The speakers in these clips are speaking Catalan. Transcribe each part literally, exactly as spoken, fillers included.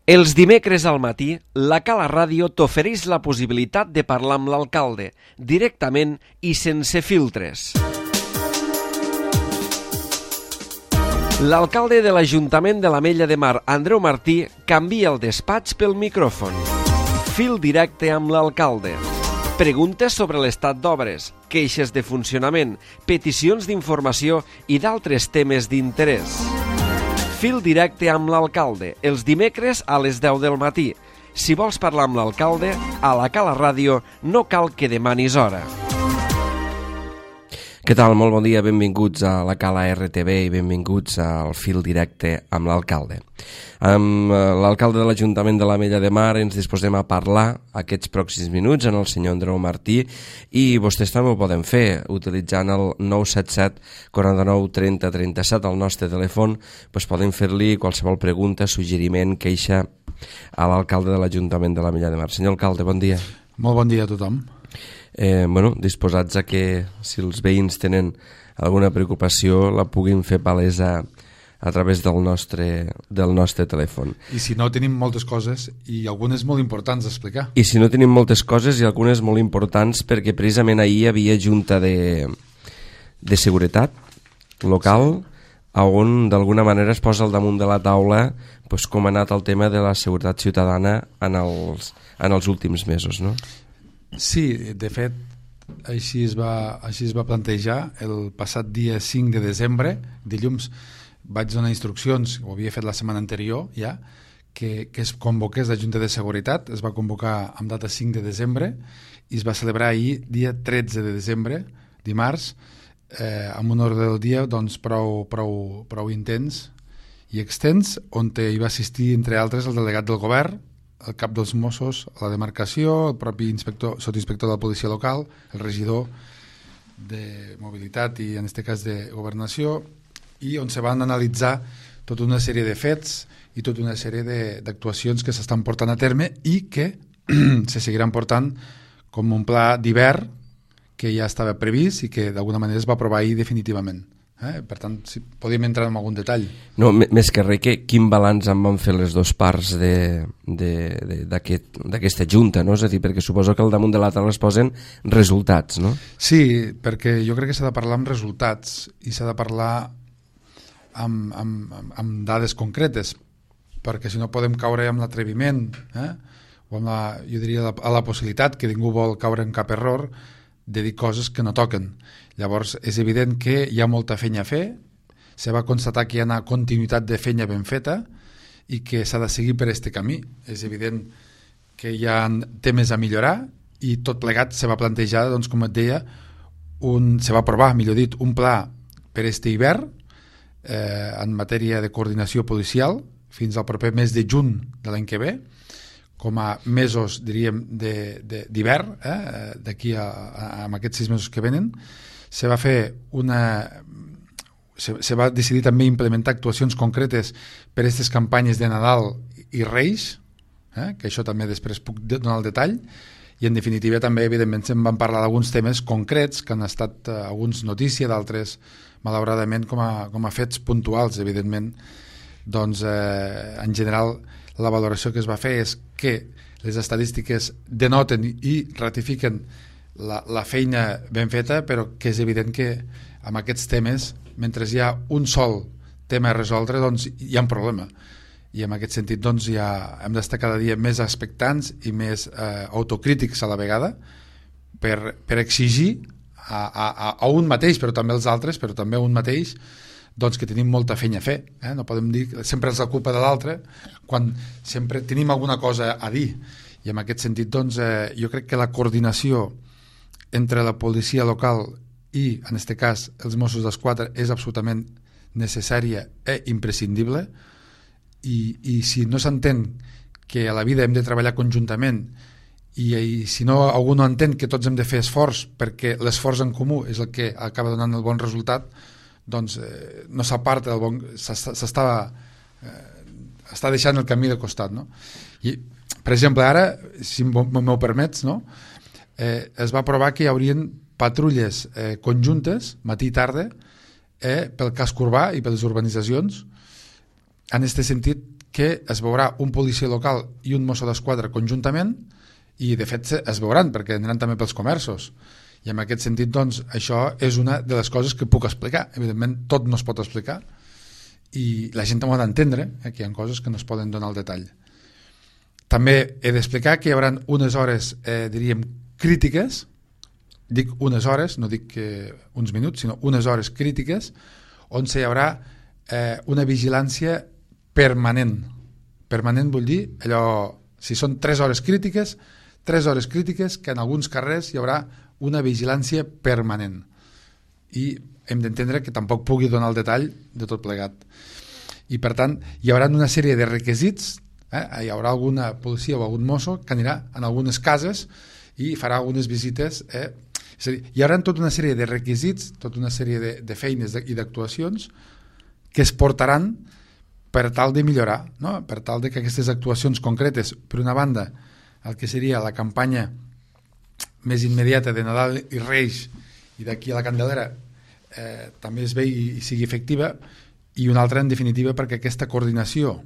Els dimecres al matí, la Cala Ràdio t'ofereix la possibilitat de parlar amb l'alcalde, directament i sense filtres. L'alcalde de l'Ajuntament de l'Ametlla de Mar, Andreu Martí, canvia el despatx pel micròfon. Fil directe amb l'alcalde. Preguntes sobre l'estat d'obres, queixes de funcionament, peticions d'informació i d'altres temes d'interès. Fil directe amb l'alcalde, els dimecres a les deu del matí. Si vols parlar amb l'alcalde, a la Cala Ràdio no cal que demanis hora. Què tal? Molt bon dia, benvinguts a la Cala R T V i benvinguts al Fil directe amb l'alcalde. Amb l'alcalde de l'Ajuntament de l'Ametlla de Mar ens disposem a parlar aquests pròxims minuts amb el senyor Andreu Martí i vostès també ho poden fer utilitzant el nou set set quaranta-nou trenta trenta-set al nostre telèfon. Doncs poden fer-li qualsevol pregunta, suggeriment, queixa a l'alcalde de l'Ajuntament de l'Ametlla de Mar. Senyor alcalde, bon dia. Molt bon dia a tothom. Eh, bueno, disposats a que si els veïns tenen alguna preocupació la puguin fer palesa a través del nostre, del nostre telèfon. I si no, tenim moltes coses i algunes molt importants d'explicar. I si no, tenim moltes coses i algunes molt importants perquè precisament ahir hi havia junta de, de seguretat local, sí, on d'alguna manera es posa al damunt de la taula pues, com ha anat el tema de la seguretat ciutadana en els, en els últims mesos, no? Sí, de fet, així es va, així es va plantejar el passat dia cinc de desembre, dilluns, vaig donar instruccions, ho havia fet la setmana anterior ja, que, que es convoqués la Junta de Seguretat, es va convocar amb data cinc de desembre i es va celebrar ahir, dia tretze de desembre, dimarts, eh, amb un ordre del dia doncs, prou, prou, prou intens i extens, on hi va assistir, entre altres, el delegat del govern, el cap dels Mossos, la demarcació, el propi inspector, sotinspector de la policia local, el regidor de mobilitat i en aquest cas de governació, i on se van analitzar tota una sèrie de fets i tota una sèrie d'actuacions que s'estan portant a terme i que se seguiran portant com un pla d'hivern que ja estava previst i que d'alguna manera es va aprovar ahir definitivament. Eh? Per tant, si podíem entrar en algun detall. No, més que res, que quin balanç en van fer les dues parts d'aquesta aquest, junta, no? És a dir, perquè suposo que al damunt de la taula es posen resultats, no? Sí, perquè jo crec que s'ha de parlar amb resultats i s'ha de parlar amb, amb, amb dades concretes, perquè si no podem caure amb l'atreviment, eh? o amb la, jo diria a la possibilitat que ningú vol caure en cap error de dir coses que no toquen. Llavors és evident que hi ha molta feina a fer, se va constatar que hi ha una continuïtat de feina ben feta i que s'ha de seguir per aquest camí. És evident que hi ha temes a millorar i tot plegat se va plantejar, doncs, com et deia, un, se va aprovar, millor dit, un pla per aquest hivern eh, en matèria de coordinació policial fins al proper mes de juny de l'any que ve, com a mesos, diríem, d'hivern, eh, d'aquí a, a, a aquests sis mesos que venen. Se va fer una... Se, se va decidir també implementar actuacions concretes per a aquestes campanyes de Nadal i Reis, eh, que això també després puc donar el detall, i en definitiva també, evidentment, se'n van parlar d'alguns temes concrets que han estat eh, alguns notícia, d'altres, malauradament, com a, com a fets puntuals, evidentment. Doncs, eh, en general, la valoració que es va fer és que les estadístiques denoten i ratifiquen la, la feina ben feta, però que és evident que amb aquests temes, mentre hi ha un sol tema a resoldre, doncs hi ha un problema. I en aquest sentit doncs, ja hem d'estar cada dia més expectants i més eh, autocrítics a la vegada per, per exigir a, a, a un mateix, però també als altres, però també a un mateix, doncs que tenim molta feina a fer. Eh? No podem dir que sempre és la culpa de l'altre quan sempre tenim alguna cosa a dir. I en aquest sentit, doncs, eh, jo crec que la coordinació entre la policia local i, en aquest cas, els Mossos d'Esquadra és absolutament necessària i imprescindible i, i si no s'entén que a la vida hem de treballar conjuntament i, i si no algú no entén que tots hem de fer esforç perquè l'esforç en comú és el que acaba donant el bon resultat, doncs eh, no s'aparta del bon... s'està eh, està deixant el camí de costat, no? I, per exemple, ara, si m'ho permets, no? eh, es va aprovar que hi haurien patrulles eh, conjuntes, matí i tarda, eh, pel casc urbà i per les urbanitzacions, en aquest sentit que es veurà un policia local i un mosso d'esquadra conjuntament, i de fet es veuran perquè aniran també pels comerços, i en aquest sentit doncs això és una de les coses que puc explicar. Evidentment tot no es pot explicar i la gent ho ha d'entendre, eh, que hi ha coses que no es poden donar al detall. També he d'explicar que hi haurà unes hores, eh, diríem, crítiques, dic unes hores, no dic que uns minuts, sinó unes hores crítiques, on hi haurà eh, una vigilància permanent. Permanent vull dir, allò, si són tres hores crítiques, tres hores crítiques que en alguns carrers hi haurà una vigilància permanent. I hem d'entendre que tampoc pugui donar el detall de tot plegat. I per tant, hi haurà una sèrie de requisits, eh? Hi haurà alguna policia o algun mosso que anirà en algunes cases i farà algunes visites, eh? És a dir, hi haurà tota una sèrie de requisits, tota una sèrie de, de feines de, i d'actuacions que es portaran per tal de millorar, no? Per tal de que aquestes actuacions concretes, per una banda, el que seria la campanya més immediata de Nadal i Reis i d'aquí a la Candelera eh, també es vegi i sigui efectiva, i una altra en definitiva perquè aquesta coordinació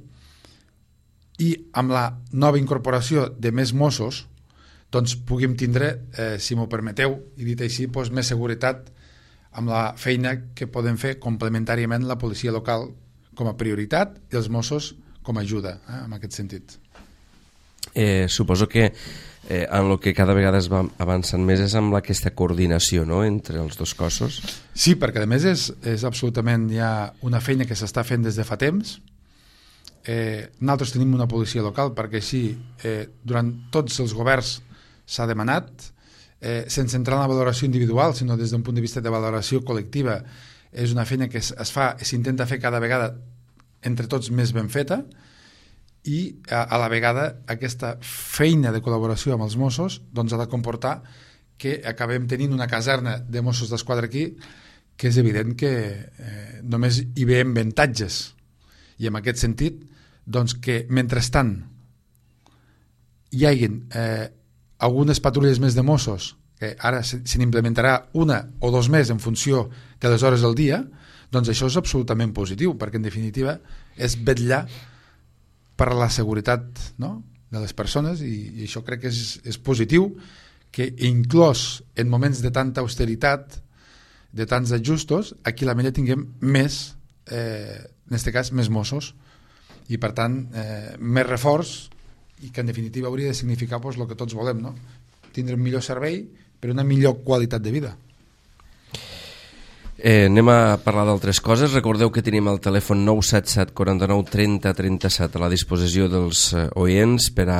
i amb la nova incorporació de més Mossos doncs puguem tindre, eh, si m'ho permeteu i dit així, doncs, més seguretat amb la feina que podem fer complementàriament la policia local com a prioritat i els Mossos com a ajuda, eh, en aquest sentit. Eh, suposo que eh, en el que cada vegada es va avançant més és amb aquesta coordinació, no?, entre els dos cossos. Sí, perquè a més és, és absolutament ja una feina que s'està fent des de fa temps. Eh, nosaltres tenim una policia local perquè així eh, durant tots els governs s'ha demanat, eh, sense entrar en la valoració individual, sinó des d'un punt de vista de valoració col·lectiva. És una feina que es, es fa, s'intenta fer cada vegada entre tots més ben feta, i a, a la vegada aquesta feina de col·laboració amb els Mossos doncs ha de comportar que acabem tenint una caserna de Mossos d'Esquadra aquí que és evident que eh, només hi veiem avantatges, i en aquest sentit doncs que mentrestant hi hagin eh, algunes patrulles més de Mossos, que ara se, se n'implementarà una o dos més en funció de les hores del dia, doncs això és absolutament positiu, perquè en definitiva és vetllar per la seguretat, no?, de les persones, i, i això crec que és, és positiu, que inclòs en moments de tanta austeritat, de tants ajustos, aquí a l'Ametlla tinguem més, eh, en aquest cas, més Mossos, i per tant, eh, més reforç, i que en definitiva hauria de significar pues, el que tots volem, no?, tindre un millor servei per una millor qualitat de vida. Eh, anem a parlar d'altres coses. Recordeu que tenim el telèfon nou set set, quaranta-nou, trenta, trenta-set a la disposició dels eh, oients per a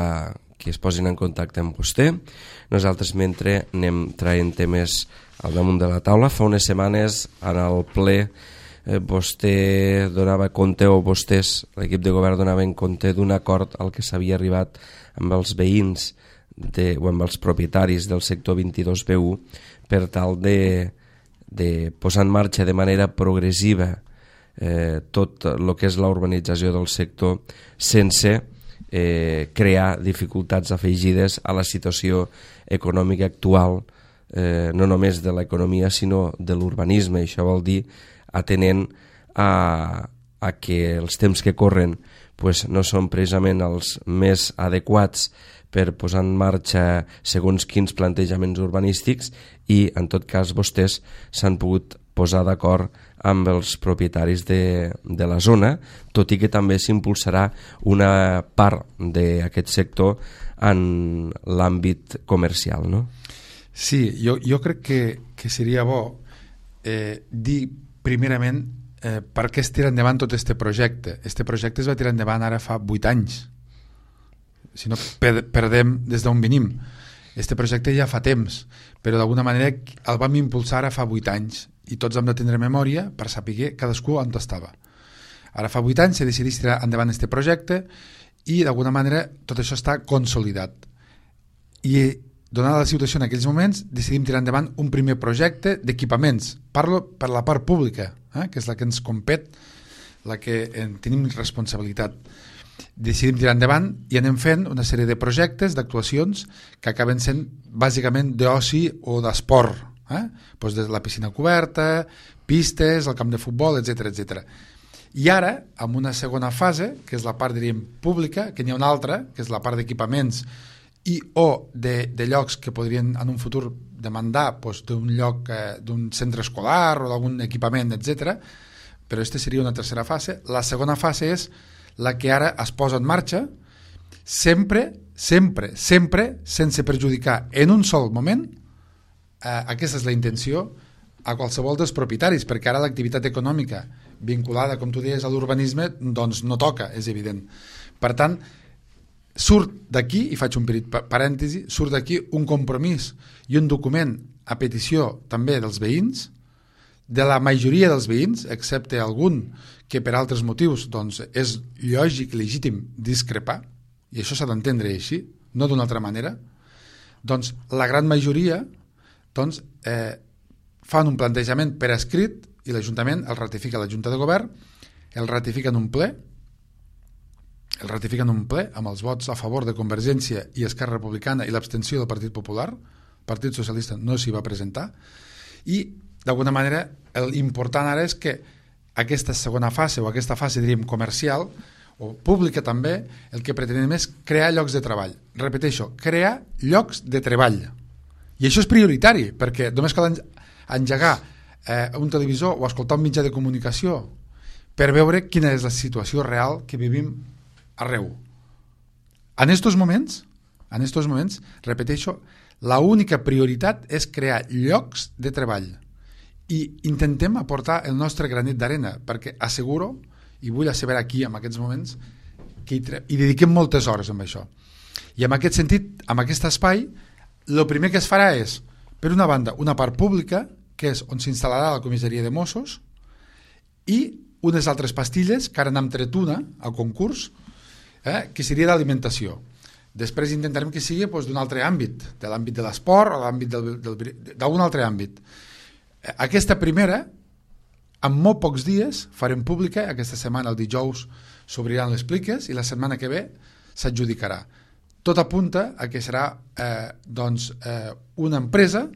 que es posin en contacte amb vostè. Nosaltres mentre anem traient temes al damunt de la taula. Fa unes setmanes en el ple eh, vostè donava compte, o vostès, l'equip de govern, donaven compte d'un acord al que s'havia arribat amb els veïns de, o amb els propietaris del sector vint-i-dos B u per tal de de posar en marxa de manera progressiva eh, tot el que és la urbanització del sector sense eh, crear dificultats afegides a la situació econòmica actual, eh, no només de l'economia sinó de l'urbanisme. Això vol dir atenent a, a que els temps que corren pues, no són precisament els més adequats per posar en marxa segons quins plantejaments urbanístics, i en tot cas vostès s'han pogut posar d'acord amb els propietaris de, de la zona, tot i que també s'impulsarà una part d'aquest sector en l'àmbit comercial, no? Sí, jo, jo crec que, que seria bo eh, dir primerament eh, per què es tira endavant tot aquest projecte. Este projecte es va tirar endavant ara fa vuit anys. Si no perdem des d'on venim. Este projecte ja fa temps, però d'alguna manera el vam impulsar ara fa vuit anys i tots hem de tindre memòria per saber cadascú on estava. Ara fa vuit anys se decideix tirar endavant este projecte i d'alguna manera tot això està consolidat. I donada la situació en aquells moments decidim tirar endavant un primer projecte d'equipaments. Parlo per la part pública, eh, que és la que ens compet, la que en tenim responsabilitat. Decidim tirar endavant i anem fent una sèrie de projectes, d'actuacions que acaben sent bàsicament d'oci o d'esport, eh? Pues de la piscina coberta, pistes, el camp de futbol, etcètera, etcètera. I ara, amb una segona fase, que és la part, diríem, pública, que n'hi ha una altra, que és la part d'equipaments i o de, de llocs que podrien en un futur demandar doncs, d'un lloc, eh, d'un centre escolar o d'algun equipament, etcètera. Però aquesta seria una tercera fase. La segona fase és la que ara es posa en marxa, sempre, sempre, sempre, sense perjudicar en un sol moment, eh, aquesta és la intenció, a qualsevol dels propietaris, perquè ara l'activitat econòmica vinculada, com tu deies, a l'urbanisme, doncs no toca, és evident. Per tant, surt d'aquí, i faig un petit parèntesi, surt d'aquí un compromís i un document a petició també dels veïns, de la majoria dels veïns, excepte algun que per altres motius doncs, és lògic, legítim discrepar, i això s'ha d'entendre així, no d'una altra manera, doncs la gran majoria doncs, eh, fan un plantejament per escrit i l'Ajuntament el ratifica a la Junta de Govern, el ratifica en un ple, el ratifica en un ple amb els vots a favor de Convergència i Esquerra Republicana i l'abstenció del Partit Popular, el Partit Socialista no s'hi va presentar, i d'alguna manera l'important ara és que aquesta segona fase o aquesta fase diríem comercial o pública també, el que pretenem és crear llocs de treball. Repeteixo, crear llocs de treball. I això és prioritari, perquè només cal engegar eh, un televisor o escoltar un mitjà de comunicació per veure quina és la situació real que vivim arreu. En estos moments, en estos moments, repeteixo, la única prioritat és crear llocs de treball i intentem aportar el nostre granet d'arena, perquè asseguro, i vull asseverar aquí en aquests moments, que hi, hi dediquem moltes hores amb això. I en aquest sentit, en aquest espai, el primer que es farà és, per una banda, una part pública, que és on s'instal·larà la comissaria de Mossos, i unes altres pastilles, que ara n'hem tret una al concurs, eh, que seria d'alimentació. Després intentarem que sigui doncs, d'un altre àmbit, de l'àmbit de l'esport o l'àmbit d'un altre àmbit. Aquesta primera, en molt pocs dies, farem pública, aquesta setmana, el dijous, s'obriran les pliques i la setmana que ve s'adjudicarà. Tot apunta a que serà eh, doncs, eh, una empresa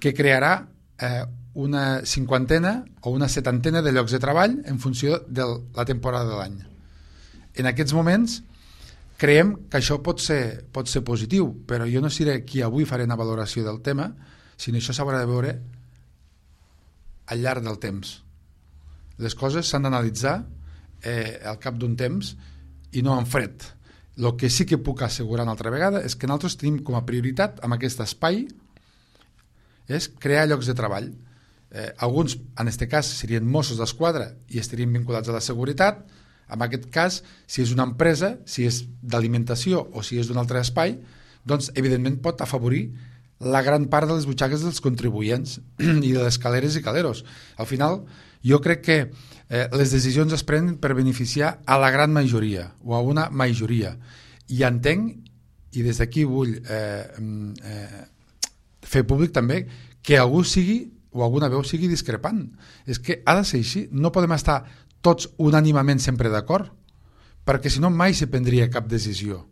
que crearà eh, una cinquantena o una setantena de llocs de treball en funció de la temporada de l'any. En aquests moments creiem que això pot ser, pot ser positiu, però jo no seré qui avui faré una valoració del tema, sinó això s'haurà de veure al llarg del temps. Les coses s'han d'analitzar eh, al cap d'un temps i no en fred. El que sí que puc assegurar una altra vegada és que nosaltres tenim com a prioritat en aquest espai és crear llocs de treball. Eh, alguns, en aquest cas, serien Mossos d'Esquadra i estarien vinculats a la seguretat. En aquest cas, si és una empresa, si és d'alimentació o si és d'un altre espai, doncs evidentment pot afavorir la gran part de les butxaques dels contribuents i de les caleres i caleros. Al final, jo crec que eh, les decisions es prenen per beneficiar a la gran majoria o a una majoria. I entenc, i des d'aquí vull eh, eh, fer públic també, que algú sigui o alguna veu sigui discrepant. És que ha de ser així. No podem estar tots unànimament sempre d'acord, perquè si no mai se prendria cap decisió.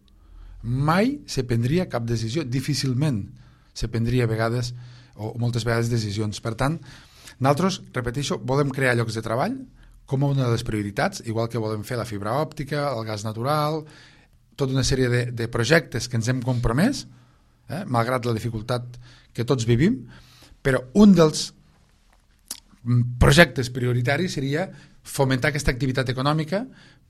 Mai se prendria cap decisió. Difícilment se prendria a vegades o moltes vegades decisions. Per tant, nosaltres, repeteixo, volem crear llocs de treball com una de les prioritats, igual que volem fer la fibra òptica, el gas natural, tota una sèrie de, de projectes que ens hem compromès, eh, malgrat la dificultat que tots vivim, però un dels projectes prioritaris seria fomentar aquesta activitat econòmica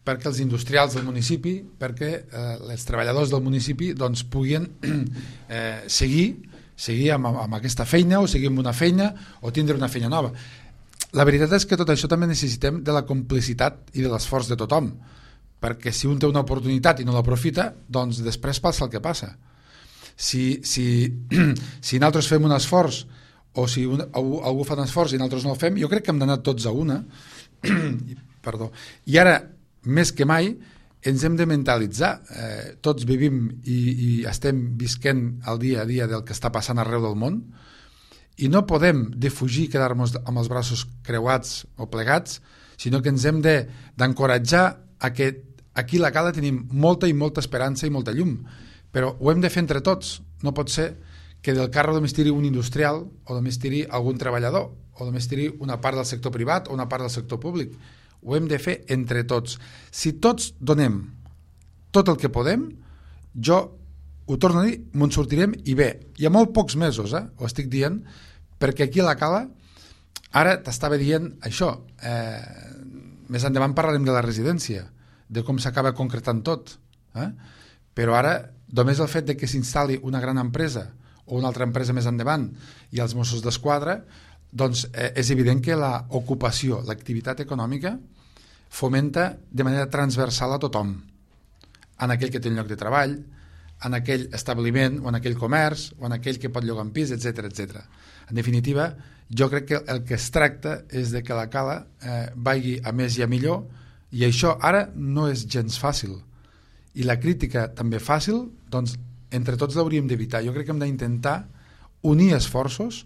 perquè els industrials del municipi, perquè eh, els treballadors del municipi doncs, puguin eh, seguir seguir amb, amb aquesta feina o seguir amb una feina o tindre una feina nova. La veritat és que tot això també necessitem de la complicitat i de l'esforç de tothom, perquè si un té una oportunitat i no l'aprofita, doncs després passa el que passa. Si, si, si nosaltres fem un esforç o si un, algú, algú fa un esforç i nosaltres no el fem, jo crec que hem d'anar tots a una. Perdó. I ara, més que mai, ens hem de mentalitzar. Eh, tots vivim i, i estem visquent el dia a dia del que està passant arreu del món i no podem defugir quedar-nos amb els braços creuats o plegats, sinó que ens hem d'encoratjar a que aquí a la Cala tenim molta i molta esperança i molta llum, però ho hem de fer entre tots. No pot ser que del carro només tiri un industrial o només tiri algun treballador o només tiri una part del sector privat o una part del sector públic. ho hem de fer entre tots. Si tots donem tot el que podem, jo ho torno a dir, me'n sortirem i bé, hi ha molt pocs mesos, eh? Ho estic dient, perquè aquí a la Cala ara t'estava dient això, eh, més endavant parlarem de la residència, de com s'acaba concretant tot, eh? Però ara només el fet de que s'instal·li una gran empresa o una altra empresa més endavant i els Mossos d'Esquadra, doncs eh, és evident que l'ocupació, l'activitat econòmica fomenta de manera transversal a tothom, en aquell que té un lloc de treball, en aquell establiment o en aquell comerç o en aquell que pot llogar un pis, etcètera, etcètera. En definitiva, jo crec que el que es tracta és de que la Cala eh, vagi a més i a millor, i això ara no és gens fàcil. I la crítica també fàcil, doncs entre tots l'hauríem d'evitar. Jo crec que hem d'intentar unir esforços,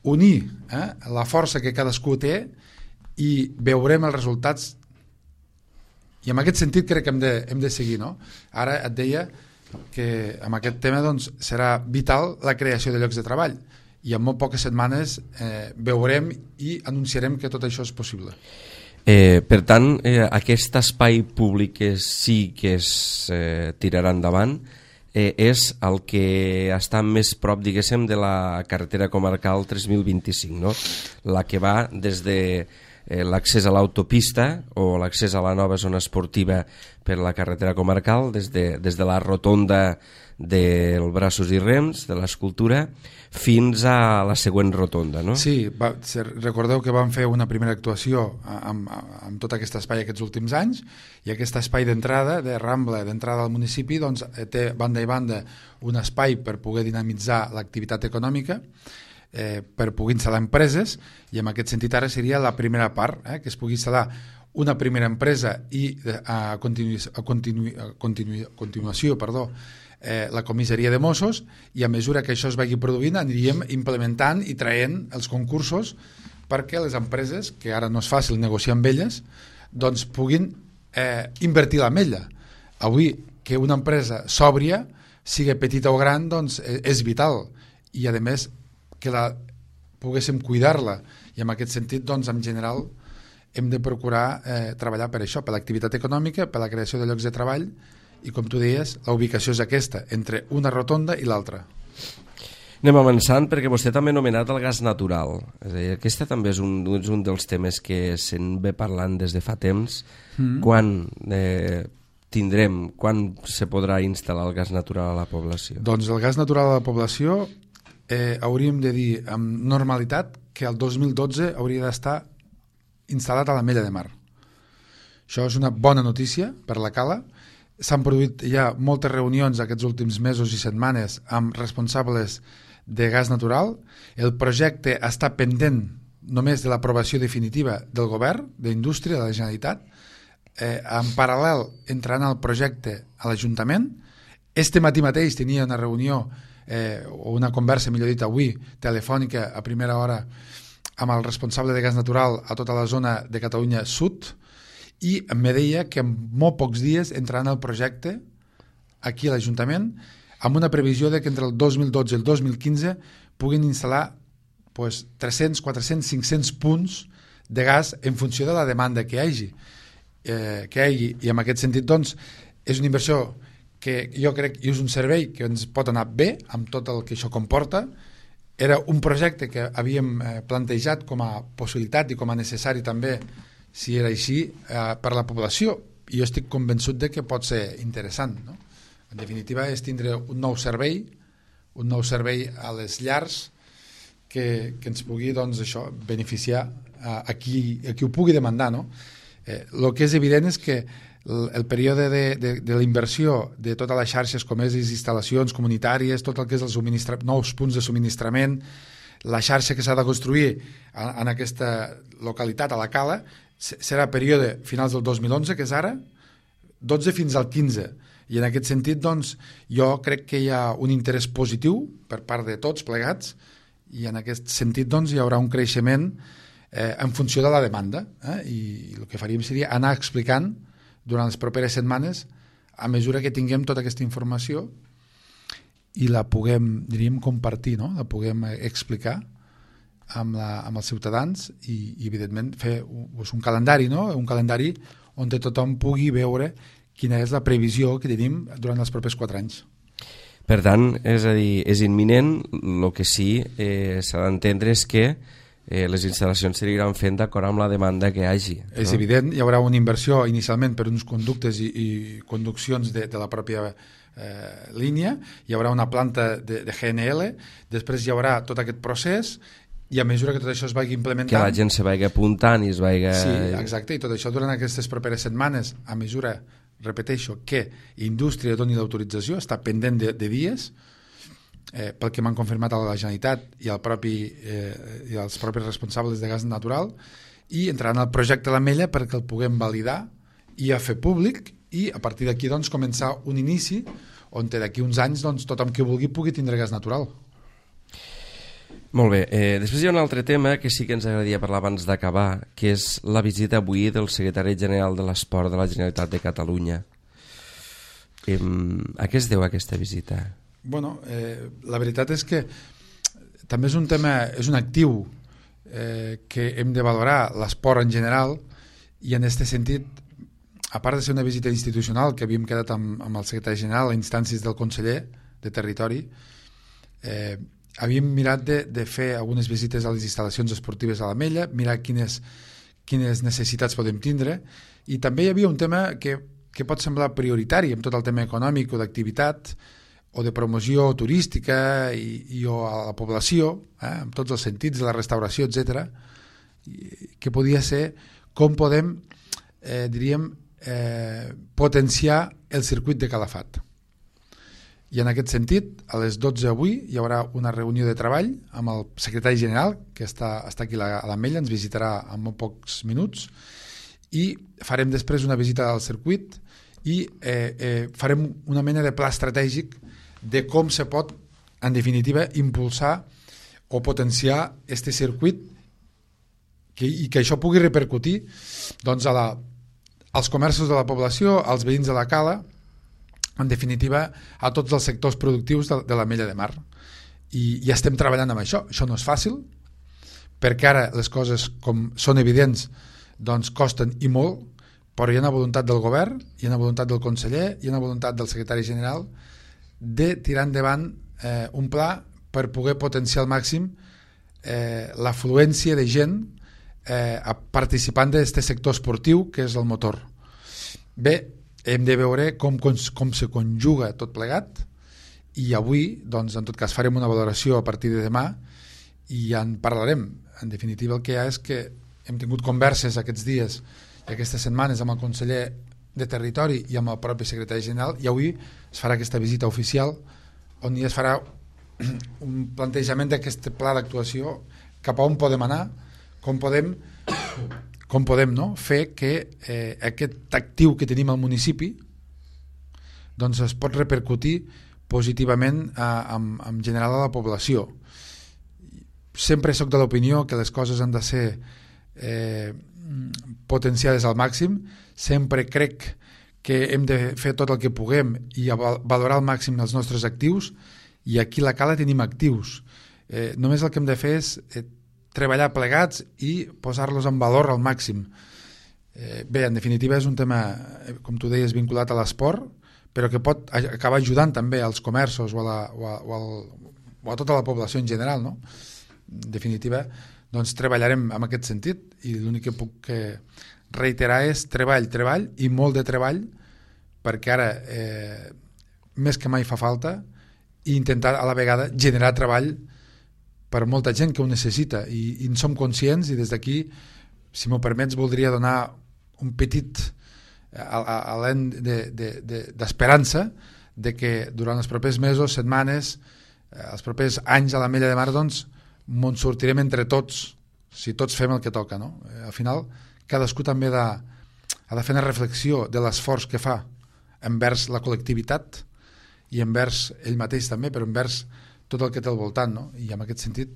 unir eh, la força que cadascú té i veurem els resultats. I en aquest sentit crec que hem de, hem de seguir, no? Ara et deia que amb aquest tema doncs, serà vital la creació de llocs de treball i en molt poques setmanes eh, veurem i anunciarem que tot això és possible. Eh, per tant, eh, aquest espai públic que sí que es eh, tirarà endavant eh, és el que està més prop, diguéssim, de la carretera comarcal tres mil vint-i-cinc, no? La que va des de eh, l'accés a l'autopista o l'accés a la nova zona esportiva per la carretera comarcal, des de, des de la rotonda del Braços i Rems, de l'escultura, fins a la següent rotonda, no? Sí, va, recordeu que vam fer una primera actuació amb, amb tot aquest espai aquests últims anys, i aquest espai d'entrada, de Rambla, d'entrada al municipi, doncs, té banda i banda un espai per poder dinamitzar l'activitat econòmica, eh, per poder instal·lar empreses, i en aquest sentit ara seria la primera part, eh, que es pugui instal·lar una primera empresa i a, continu, a, continu, a, continu, a continuació, perdó, Eh, la comissaria de Mossos, i a mesura que això es vagi produint aniríem implementant i traient els concursos perquè les empreses, que ara no és fàcil negociar amb elles, doncs puguin eh, invertir la mella. Avui, que una empresa sòbria, sigui petita o gran, doncs eh, és vital, i a més que la poguéssim cuidar-la, i en aquest sentit, doncs en general hem de procurar eh, treballar per això, per l'activitat econòmica, per la creació de llocs de treball, i com tu deies, la ubicació és aquesta, entre una rotonda i l'altra. Anem avançant, perquè vostè també ha anomenat el gas natural. És a dir, aquesta també és un, és un dels temes que se'n ve parlant des de fa temps. Mm. Quan eh, tindrem, quan se podrà instal·lar el gas natural a la població? Doncs el gas natural a la població eh, hauríem de dir amb normalitat que el dos mil dotze hauria d'estar instal·lat a l'Ametlla de Mar. Això és una bona notícia per la Cala. S'han produït ja moltes reunions aquests últims mesos i setmanes amb responsables de gas natural. El projecte està pendent només de l'aprovació definitiva del govern, d'Indústria, de la Generalitat. Eh, en paral·lel entrant al projecte a l'Ajuntament. Este matí mateix tenia una reunió eh, o una conversa, millor dit avui, telefònica a primera hora amb el responsable de gas natural a tota la zona de Catalunya Sud, i em deia que en molt pocs dies entraran al projecte aquí a l'Ajuntament amb una previsió de que entre el dos mil dotze i el dos mil quinze puguin instal·lar pues, tres-cents, quatre-cents, cinc-cents punts de gas en funció de la demanda que hi hagi. Eh, que hi hagi. I en aquest sentit, doncs, és una inversió que jo crec i és un servei que ens pot anar bé amb tot el que això comporta. Era un projecte que havíem eh, plantejat com a possibilitat i com a necessari també, si era així, eh, per la població, i jo estic convençut de que pot ser interessant, no? En definitiva és tindre un nou servei, un nou servei a les llars que, que ens pugui, doncs, això, beneficiar a, a, qui, a qui ho pugui demandar, no? Eh, el que és evident és que el, el període de, de, de la inversió de totes les xarxes com és les instal·lacions comunitàries, tot el que és els subministra... nous punts de subministrament, la xarxa que s'ha de construir en, en aquesta localitat, a la Cala, serà període finals del dos mil onze, que és ara, dotze fins al quinze. I en aquest sentit, doncs, jo crec que hi ha un interès positiu per part de tots plegats, i en aquest sentit, doncs, hi haurà un creixement eh, en funció de la demanda. Eh? I el que faríem seria anar explicant durant les properes setmanes, a mesura que tinguem tota aquesta informació i la puguem, diríem, compartir, no? La puguem explicar amb, la, amb els ciutadans i, i evidentment, fer pues, un calendari, no? Un calendari on tothom pugui veure quina és la previsió que tenim durant els propers quatre anys. Per tant, és a dir, és imminent, el que sí eh, s'ha d'entendre és que eh, les instal·lacions s'aniran fent d'acord amb la demanda que hi hagi. No? És evident, hi haurà una inversió inicialment per uns conductes i, i conduccions de, de la pròpia eh, línia, hi haurà una planta de, de G N L, després hi haurà tot aquest procés i a mesura que tot això es vagi implementant... Que la gent se vagi apuntant i es vagi... Sí, exacte, i tot això durant aquestes properes setmanes, a mesura, repeteixo, que indústria doni l'autorització, està pendent de, de dies, eh, pel que m'han confirmat a la Generalitat i, el propi, eh, i els propis responsables de gas natural, i entraran al projecte l'Ametlla perquè el puguem validar i a fer públic, i a partir d'aquí doncs, començar un inici on d'aquí uns anys doncs, tothom que vulgui pugui tindre gas natural. Molt bé, eh, després hi ha un altre tema que sí que ens agradaria parlar abans d'acabar, que és la visita avui del secretari general de l'Esport de la Generalitat de Catalunya. Eh, a què es deu aquesta visita? Bueno, eh, la veritat és que també és un tema, és un actiu eh, que hem de valorar l'esport en general, i en aquest sentit, a part de ser una visita institucional que havíem quedat amb, amb el secretari general a instàncies del conseller de Territori, eh, havíem mirat de, de fer algunes visites a les instal·lacions esportives a l'Ametlla, mirar quines, quines necessitats podem tindre, i també hi havia un tema que, que pot semblar prioritari amb tot el tema econòmic o d'activitat o de promoció turística i, i o a la població, eh, amb tots els sentits de la restauració, etcètera, que podia ser com podem, eh, diríem, eh, potenciar el circuit de Calafat. I en aquest sentit, a les dotze avui hi haurà una reunió de treball amb el secretari general, que està, està aquí a l'Ametlla, ens visitarà en molt pocs minuts, i farem després una visita al circuit i eh, eh, farem una mena de pla estratègic de com se pot, en definitiva, impulsar o potenciar este circuit que, i que això pugui repercutir doncs, a la, als comerços de la població, als veïns de la Cala, en definitiva, a tots els sectors productius de, de l'Ametlla de Mar. I, i estem treballant amb això. Això no és fàcil, perquè ara les coses, com són evidents, doncs costen i molt, però hi ha una voluntat del govern, hi ha una voluntat del conseller, hi ha una voluntat del secretari general de tirar endavant eh, un pla per poder potenciar al màxim eh, l'afluència de gent eh, participant d'aquest sector esportiu, que és el motor. Bé, hem de veure com, com se conjuga tot plegat, i avui, doncs, en tot cas, farem una valoració a partir de demà i ja en parlarem. En definitiva, el que hi ha és que hem tingut converses aquests dies i aquestes setmanes amb el conseller de Territori i amb el propi secretari general, i avui es farà aquesta visita oficial on ja es farà un plantejament d'aquest pla d'actuació, cap a on podem anar, com podem com podem no? fer que eh, aquest actiu que tenim al municipi doncs es pot repercutir positivament a, a, en general a la població. Sempre soc de l'opinió que les coses han de ser eh, potenciades al màxim, sempre crec que hem de fer tot el que puguem i valorar al màxim els nostres actius, i aquí a la Cala tenim actius. Eh, només el que hem de fer és eh, treballar plegats i posar-los en valor al màxim. Eh, bé, en definitiva és un tema, com tu deies, vinculat a l'esport, però que pot acabar ajudant també als comerços o a, la, o a, o al, o a tota la població en general, no? En definitiva, doncs treballarem en aquest sentit, i l'únic que puc reiterar és treball, treball i molt de treball, perquè ara eh, més que mai fa falta, i intentar a la vegada generar treball per molta gent que ho necessita, i, i en som conscients, i des d'aquí, si m'ho permets, voldria donar un petit alent d'esperança de, de, de que durant els propers mesos, setmanes, els propers anys a l'Ametlla de Mar, doncs, m'on sortirem entre tots, si tots fem el que toca, no? Al final, cadascú també ha de, ha de fer una reflexió de l'esforç que fa envers la col·lectivitat i envers ell mateix també, però envers tot el que té al voltant, no? I en aquest sentit,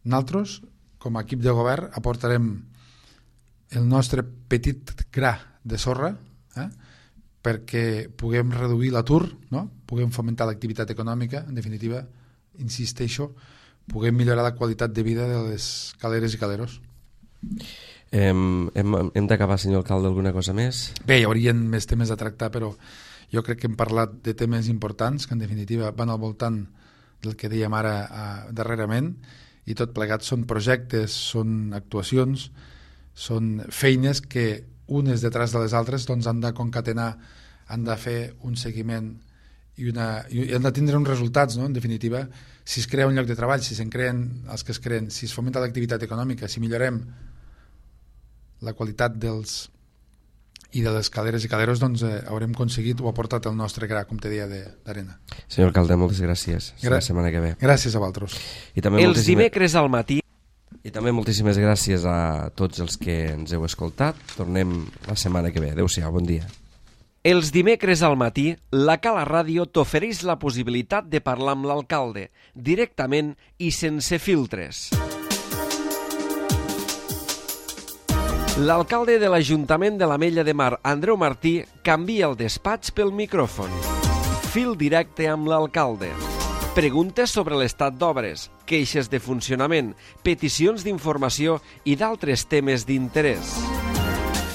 nosaltres, com a equip de govern, aportarem el nostre petit gra de sorra eh? perquè puguem reduir l'atur, no? Puguem fomentar l'activitat econòmica, en definitiva, insisteixo, puguem millorar la qualitat de vida de les caleres i caleros. Hem, hem, hem d'acabar, senyor alcalde, alguna cosa més? Bé, hi haurien més temes a tractar, però jo crec que hem parlat de temes importants que en definitiva van al voltant del que dèiem ara eh, darrerament, i tot plegat són projectes, són actuacions, són feines que unes detrás de les altres doncs, han de concatenar, han de fer un seguiment i, una, i han de tindre uns resultats, no? En definitiva, si es crea un lloc de treball, si se'n creen els que es creen, si es fomenta l'activitat econòmica, si millorem la qualitat dels i de les caleres i caleros, doncs eh, haurem aconseguit o aportat el nostre gra, com te deia, d'arena. Senyor alcalde, moltes gràcies. Gra la setmana que ve. Gràcies a vosaltres. I també Els moltíssime... dimecres al matí. I també moltíssimes gràcies a tots els que ens heu escoltat. Tornem la setmana que ve. Adéu-siau, bon dia. Els dimecres al matí, la Cala Ràdio t'ofereix la possibilitat de parlar amb l'alcalde, directament i sense filtres. L'alcalde de l'Ajuntament de l'Ametlla de Mar, Andreu Martí, canvia el despatx pel micròfon. Fil directe amb l'alcalde. Preguntes sobre l'estat d'obres, queixes de funcionament, peticions d'informació i d'altres temes d'interès.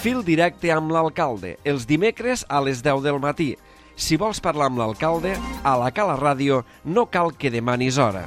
Fil directe amb l'alcalde, els dimecres a les deu del matí. Si vols parlar amb l'alcalde, a la Cala Ràdio no cal que demanis hora.